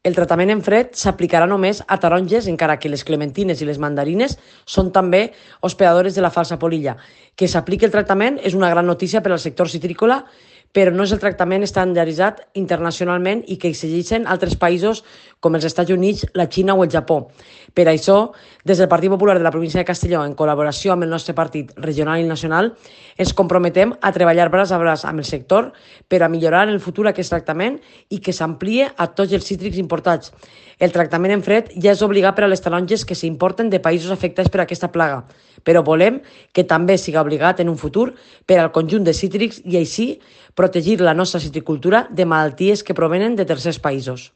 El tractament en fred s'aplicarà només a taronges, encara que les clementines i les mandarines són també hospedadores de la falsa polilla. Que s'apliqui el tractament és una gran notícia per al sector citrícola, però no és el tractament estandarditzat internacionalment i que exigeixen altres països com els Estats Units, la Xina o el Japó. Per això, des del Partit Popular de la província de Castelló, en col·laboració amb el nostre partit regional i nacional, ens comprometem a treballar braç a braç amb el sector per a millorar en el futur aquest tractament i que s'amplie a tots els cítrics importats. El tractament en fred ja és obligat per a les taronges que s'importen de països afectats per aquesta plaga, però volem que també siga obligat en un futur per al conjunt de cítrics i així protegir la nostra citricultura de malalties que provenen de tercers països.